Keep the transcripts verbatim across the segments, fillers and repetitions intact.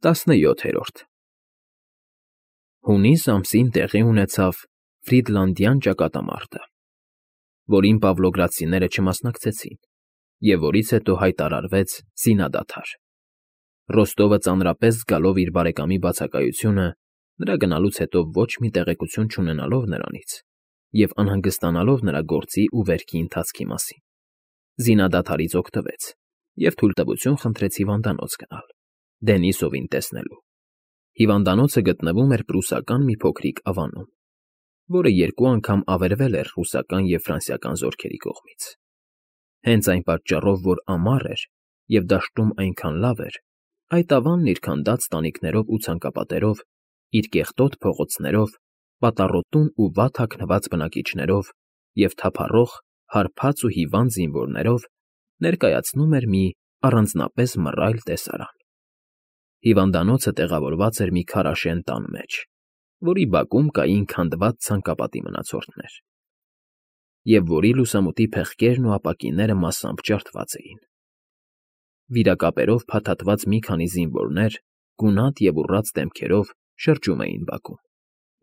Տասնյոթերորդ Հունիս ամսին տեղի ունեցավ Ֆրիդլանդյան ճակատամարտը, որին պավլոգրադցիները չմասնակցեցին և որից հետո հայտարարվեց զինադադար։ Ռոստովը ծանրապես զգալով իր բարեկամի բացակայությունը, նրա գնալուց հետո ոչ մի տեղեկություն չունենալով նրանից և անհանգստանալով նրա գործի ու վերքի ընթացքի մասին, զինադադարից օգտվեց և թույլտվություն խնդրեց հիվանդանոց գնալ, Դենիսովին տեսնելու։ Հիվանդանոցը գտնվում էր պրուսական մի փոքրիկ ավանում, որը երկու անգամ ավերվել էր ռուսական և ֆրանսիական զորքերի կողմից։ Հենց այն պատճառով, որ ամառ էր և դաշտում այնքան լավ էր, այդ ավանն իր քանդած տանիքներով ու ցանկապատերով, իր կեղտոտ փողոցներով, պատառոտուն ու վատ հագնված բնակիչներով և թափառող, հարբած ու հիվանդ զինվորներով ներկայացնում էր մի առանձնապես մռայլ տեսարան։ Հիվանդանոցը տեղավորված էր մի քարաշեն տան մեջ, որի բակում կային քանդված ցանկապատի մնացորդներ, և որի լուսամուտի փեղկերն ու ապակիները մասամբ ջարդված էին։ Վիրակապերով փաթաթված մի քանի զինվորներ, գունատ և ուռած դեմքերով, շրջում էին բակում,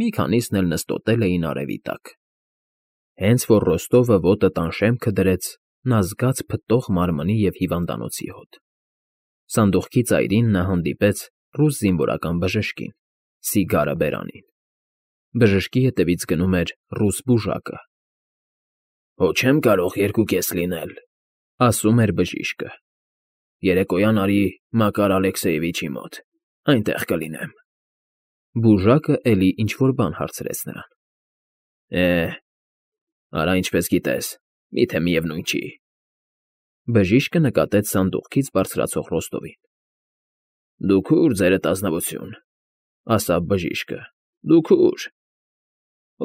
մի քանիսն էլ նստոտել էին արևի տակ։ Հենց որ Ռոստովը ոտը տան շեմքը դրեց, նա զգաց փտտող մարմնի և հիվանդանոցի հոտ։ Սանդուղքի ծայրին նա հանդիպեց ռուս զինվորական բժշկին, սիգարը բերանին։ Բժշկի հետևից գնում էր ռուս բուժակը։ ֊ Հո չեմ կարող երկուկես լինել,֊ ասում էր բժիշկը։ Երեկոյան արի Մակար Ալեքսեևիչի մոտ, այնտեղ կլինեմ։ Բուժակը էլի ինչ֊որ բան հարցրեց նրան։ Է, արա ինչպես գիտես, միթե միևնույն չի։ Բժիշկը նկատեց սանդուղքից բարձրացող Ռոստովին։ Դուք ուր, ձերդ ազնվություն,֊ ասաց բժիշկը,֊ դուք ուր։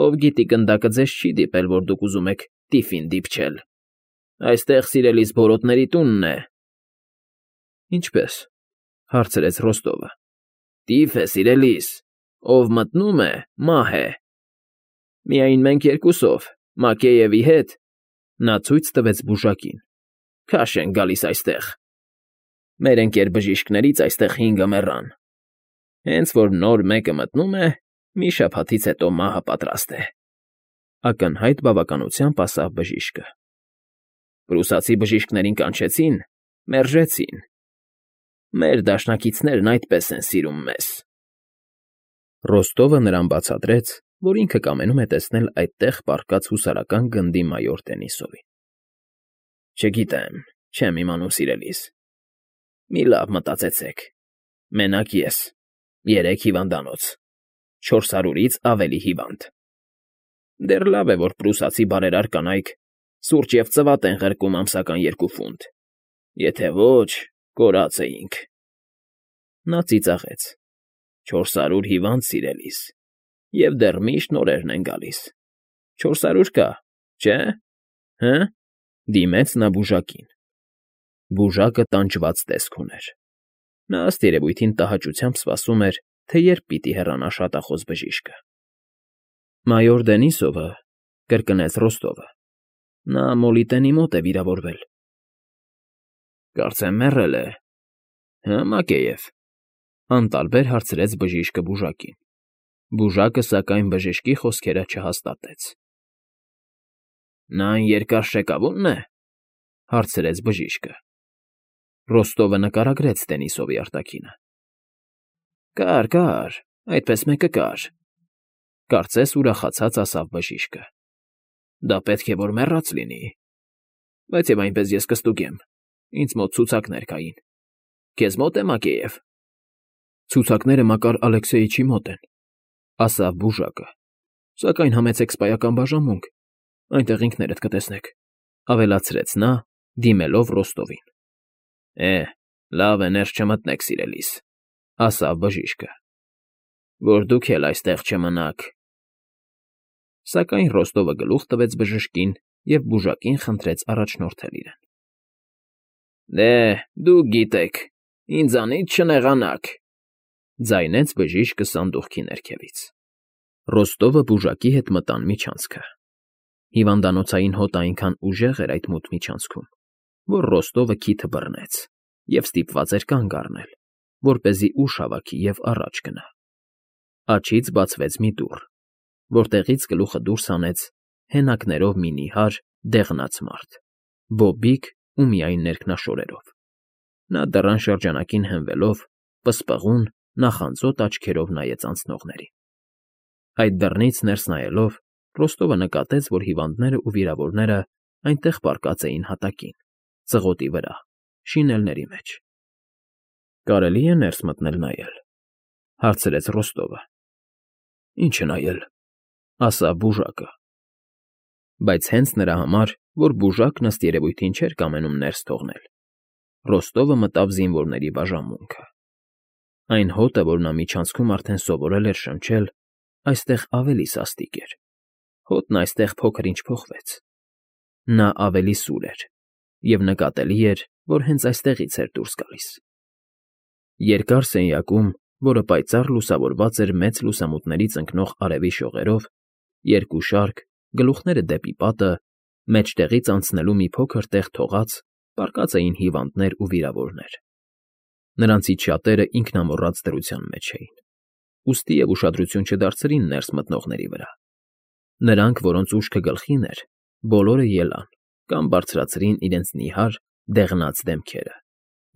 Ով գիտի գնդակը ձեզ չի դիպել, որ դուք ուզում եք տիֆին դիպչել։ Այստեղ սիրելիս բորոտների տունն է։ Ինչպե՞ս,֊ հարցրեց Ռոստովը։ Տիֆ է, սիրելիս, ով մտնում է, մահ է։ Միայն մենք երկուսով, Մակեյևի հետ,֊ նա ցույց տվեց բուժակին,֊ քաշ ենք գալիս այստեղ։ Մեր ընկեր֊բժիշկներից այստեղ հինգը մեռան։ Հենց որ նոր մեկը մտնում է, մի շաբաթից հետո մահը պատրաստ է,֊ ակնհայտ բավականությամբ ասաց բժիշկը։ Պրուսացի բժիշկներին կանչեցին, մերժեցին։ Մեր դաշնակիցներն այդպես են սիրում մեզ։ Ռոստովը նրան բացատրեց, որ ինքը կամենում է տեսնել այդտեղ պառկած հուսարական գնդի մայոր Դենիսովին։ Չգիտեմ, չեմ իմանում, սիրելիս։ Մի լավ մտածեցեք. մենակ ես, երեք հիվանդանոց, չորս հարյուրից ավելի հիվանդ։ Դեռ լավ է, որ պրուսացի բարերար կանայք սուրճ և ծվատ են ղրկում ամսական երկու ֆունտ, եթե ոչ, կորած էինք։ Նա ծիծաղեց. Չորս հարյուր հիվանդ, սիրելիս, և դեռ միշտ նորերն են գալիս։ Չորս հարյուր կա, չէ՞, հը՞։ Դիմեց նա բուժակին։ Բուժակը տանջված տեսք ուներ։ Նա ըստ երևույթին տհաճությամբ սպասում էր, թե երբ պիտի հեռանա շատախոս բժիշկը։ Մայոր Դենիսովը,֊ կրկնեց Ռոստովը,֊ նա Մոլիտենի մոտ է վիրավորվել։ Կարծեմ մեռել է, հը՞, Մակեյև,֊ անտարբեր հարցրեց բժիշկը բուժակին։ Բուժակը, սակայն, բժշկի խոսքերը չհաստատեց։ Նա այն երկար շեկավո՞ւնն է,֊ հարցրեց բժիշկը։ Ռոստովը նկարագրեց Դենիսովի արտաքինը։ Կար, կար, այդպես մեկը կար,֊ կարծես ուրախացած ասաց բժիշկը։ Դա պետք է որ մեռած լինի։ Բայց և այնպես ես կստուգեմ, ինձ մոտ ցուցակներ կային։ Քեզ մոտ է, Մակեյև։ Ցուցակները Մակար Ալեքսեյիչի մոտ են,֊ ասաց բուժակը։ Սակայն համեցեք սպայական բաժանմունք, այնտեղ ինքներդ կտեսնեք,֊ ավելացրեց նա, դիմելով Ռոստովին։ Է, լավ է, ներս չմտնեք, սիրելիս,֊ ասաց բժիշկը։ Որ դուք էլ այստեղ չմնաք։ Սակայն Ռոստովը գլուխ տվեց բժշկին և բուժակին խնդրեց առաջնորդել իրեն։ Դե, դուք գիտեք, ինձանից չնեղանաք,֊ ձայնեց բժիշկը սանդուղքի ներքևից։ Ռոստովը բուժակի հետ մտան միջանցքը։ Հիվանդանոցային հոտը այնքան ուժեղ էր այդ մութ միջանցքում, որ Ռոստովը քիթը բռնեց և ստիպված էր կանգ առնել, որպեսզի ուժ հավաքի և առաջ գնա։ Աջից բացվեց մի դուռ, որտեղից գլուխը դուրս հանեց հենակներով մի նիհար, դեղնած մարդ, բոբիկ ու միայն ներքնաշորերով։ Նա դռան շրջանակին հենվելով, պսպղուն, նախանձոտ աչքերով նայեց անցնողներին։ Այդ դռնից ներս նայելով, Ռոստովը նկատեց, որ հիվանդներն ու վիրավորները այնտեղ պառկած էին հատակին, ծղոտի վրա, շինելների մեջ։ ֊ Կարելի՞ է ներս մտնել նայել,֊ հարցրեց Ռոստովը։ ֊ Ի՞նչը նայել,֊ ասաց բուժակը։ Բայց հենց նրա համար, որ բուժակն ըստ երևույթին չէր կամենում ներս թողնել, Ռոստովը մտավ զինվորների բաժանմունքը։ Այն հոտը, որ նա միջանցքում արդեն սովորել էր շնչել, այստեղ ավելի սաստիկ էր, հոտն այստեղ փոքր֊ինչ փոխվեց։ Նա ավելի սուր էր, և նկատելի էր, որ հենց այստեղից էր դուրս գալիս։ Երկար սենյակում, որը պայծառ լուսավորված էր մեծ լուսամուտներից ընկնող արևի շողերով, երկու շարք, գլուխները դեպի պատը, մեջտեղից անցնելու մի փոքր տեղ թողած, պառկած էին հիվանդներ ու վիրավորներ։ Նրանցից շատերը ինքնամոռաց դրության մեջ էին, ուստի և ուշադրություն չդարձրին ներս մտնողների վրա։ Նրանք, որոնց ուշքը գլխին էր, բոլորը ելան կամ բարձրացրին իրենց նիհար, դեղնած դեմքերը,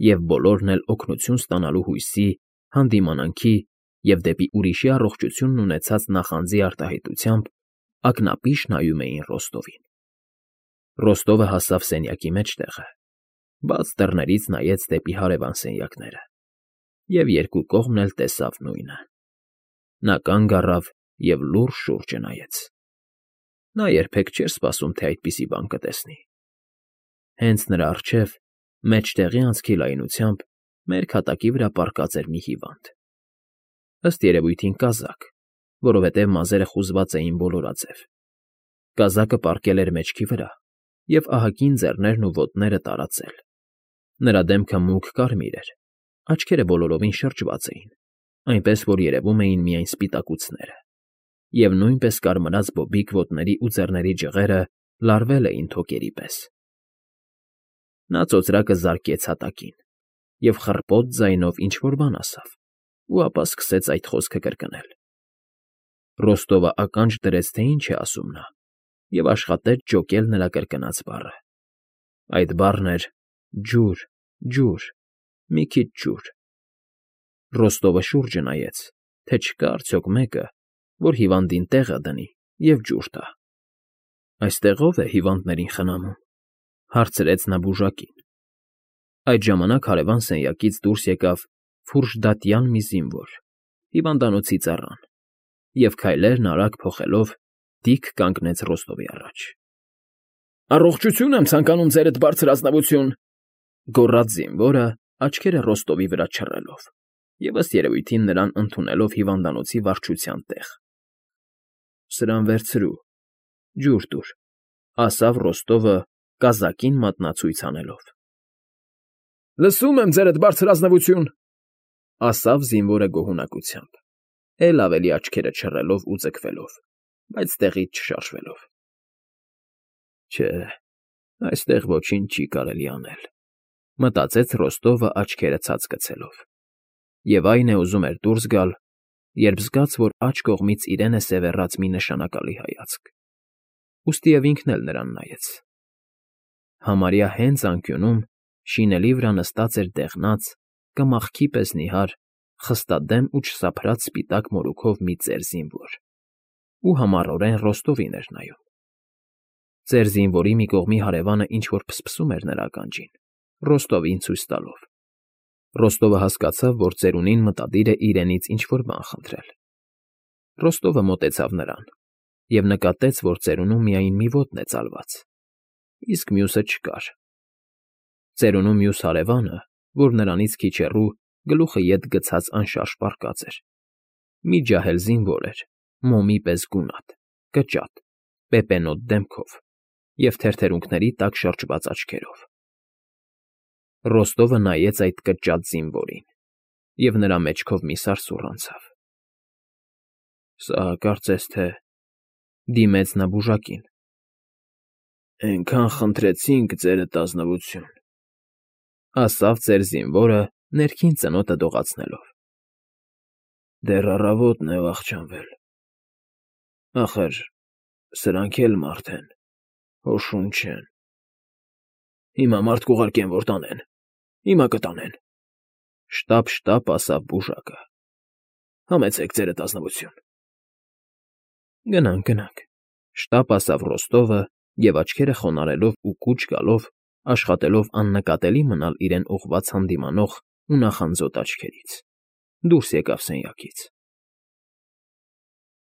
և բոլորն էլ օգնություն ստանալու հույսի, հանդիմանանքի և դեպի ուրիշի առողջությունն ունեցած նախանձի արտահայտությամբ ակնապիշ նայում էին Ռոստովին։ Ռոստովը հասավ սենյակի մեջտեղը, բաց դռներից նայեց դեպի հարևան սենյակները և երկու կողմն էլ տեսավ նույնը։ Նա կանգ առավ և լուռ շուրջը նայեց։ Նա երբեք չէր սպասում, թե այդպիսի բան կտեսնի։ Հենց նրա առջև, մեջտեղի անցքի լայնությամբ, մերկ հատակի վրա պառկած էր մի հիվանդ։ Ըստ երևույթին կազակ, որովհետև մազերը խուզված էին բոլորաձև։ Կազակը պառկել էր մեջքի վրա և ահագին ձեռներն ու ոտները տարածել։ Նրա դեմքը մուգ կարմիր էր, աչքերը բոլորովին շրջված էին, այնպես որ երևում էին միայն սպիտակուցները, և նույնպես կարմրած բոբիկ ոտների ու ձեռների ջղերը լարվել էին թոկերի պես։ Նա ծոծրակը զարկեց հատակին և խռպոտ ձայնով ինչ֊որ բան ասավ, ու ապա սկսեց այդ խոսքը կրկնել։ Ռոստովը ականջ դրեց, թե ինչ է ասում նա, և աշխատեց ջոկել նրա կրկնած բառը։ Այդ բառն էր ջուր, ջուր, մի քիչ ջուր։ Ռոստովը շուրջը նայեց, թե չկա արդյոք մեկը, որ հիվանդին տեղը դնի և ջուր տա։ ֊ Այստեղ ո՞վ է հիվանդներին խնամում,֊ հարցրեց նա բուժակին։ Այդ ժամանակ հարևան սենյակից դուրս եկավ ֆուրժդատյան մի զինվոր, հիվանդանոցի ծառան, և քայլերն արագ փոխելով, դիկ կանգնեց Ռոստովի առաջ։ ֊ Առողջություն եմ ցանկանում, Ձերդ Բարձր Ազնվություն,֊ գոռաց զինվորը, աչքերը Ռոստովի վրա չռելով և, ըստ երևույթին, նրան ընդունելով հիվանդանոցի վարչության տեղ։ ֊ Սրան վերցրու, ջուր տուր,֊ ասավ Ռոստովը, կազակին մատնացույց անելով։ ֊ Լսում եմ, Ձերդ Բարձր Ազնվություն,֊ ասավ զինվորը գոհունակությամբ, էլ ավելի աչքերը չռելով ու ձգվելով, բայց տեղից չշարժվելով։ «Չէ, այստեղ ոչինչ չի կարելի անել,֊ մտածեց Ռոստովը աչքերը ցած գցելով, և այն է ուզում էր դուրս գալ, երբ զգաց, որ աջ կողմից իրեն է սևեռած մի նշանակալի հայացք, ուստիև ինքն էլ նրան նայեց։ Համարյա հենց անկյունում, շինելի վրա նստած էր դեղնած, կմախքի պես նիհար, խստադեմ ու չսափրած սպիտակ մորուքով մի ծեր զինվոր, ու համառորեն Ռոստովին էր նայում։ Ծեր զինվորի մի կողմի հարևանը ինչ֊որ փսփսում էր նրա ականջին, Ռոստովին ցույց տալով։ Ռոստովը հասկացավ, որ ծերունին մտադիր է իրենից ինչ֊որ բան խնդրել։ Ռոստովը մոտեցավ նրան և նկատեց, որ ծերունու միայն մի ոտն է ծալված, իսկ մյուսը չկար։ Ծերունու մյուս հարևանը, որ նրանից քիչ հեռու, գլուխը ետ գցած անշարժ պառկած էր, մի ջահել զինվոր էր, մոմի պես գունատ, կճատ, պեպենոտ դեմքով և թերթերունքների տակ շրջված աչքերով։ Ռոստովը նայեց այդ կճատ զինվորին, և նրա մեջքով մի սարսուռ անցավ։ ֊ Սա կարծես թե,֊ դիմեց նա բուժակին,֊ էնքան խնդրեցինք, Ձերդ Ազնվություն,֊ ասավ ծեր զինվորը ներքին ծնոտը դողացնելով։ Դեռ առավոտն է վախճանվել, ախր սրանք էլ մարդ են, հո շուն չեն։ Հիմա մարդ կուղարկեմ, որ տանեն, հիմա կտանեն, շտապ֊շտապ ասաց բուժակը։ Համեցեք ձերդ ազնվություն։ Գնանք, գնանք, շտապ ասաց Ռոստովը և աչքերը խոնարհելով ու կուչ գալով աշխատելով աննկատելի մնալ իրեն ուղղված հանդիմանող ու նախանձոտ աչքերից, դուրս եկավ սենյակից։